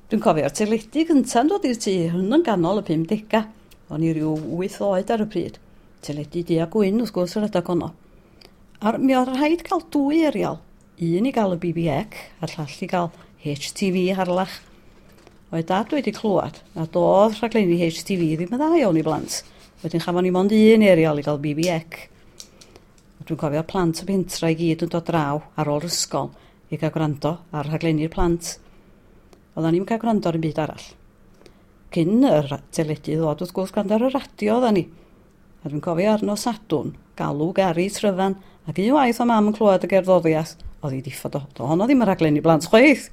Dwi'n cofio'r teledu gynta'n dod i'r tŷ, hwn yn ganol y 50au. O'n i ryw 8 oed ar y pryd. Teledu du a gwyn, wrth gwrs, yr adeg honno. A mi oedd rhaid cael dwy erial. Un i gael y BBC a'r llall i gael HTV Harlech. Oedd dad wedi clywed nad oedd rhaglenni HTV ddim yn dda iawn i blant. Wedyn chafon ni mond un erial i gael BBC. Dwi'n cofio plant y pentra i gyd yn dod draw ar ôl ysgol i gael gwrando ar rhaglenni'r plant. Oeddan ni'm yn cael gwrando ar un byd arall. Cyn yr teledu ddod, wrth gwrs, gwrando ar y radio oeddan ni. A dwi'n cofio ar nos Sadwrn, galw Gary Tryfan, ac un waith o mam yn clywed y gerddoriaeth, oedd hi diffod o. Do honno ddim yn rhaglen i blant chwaith.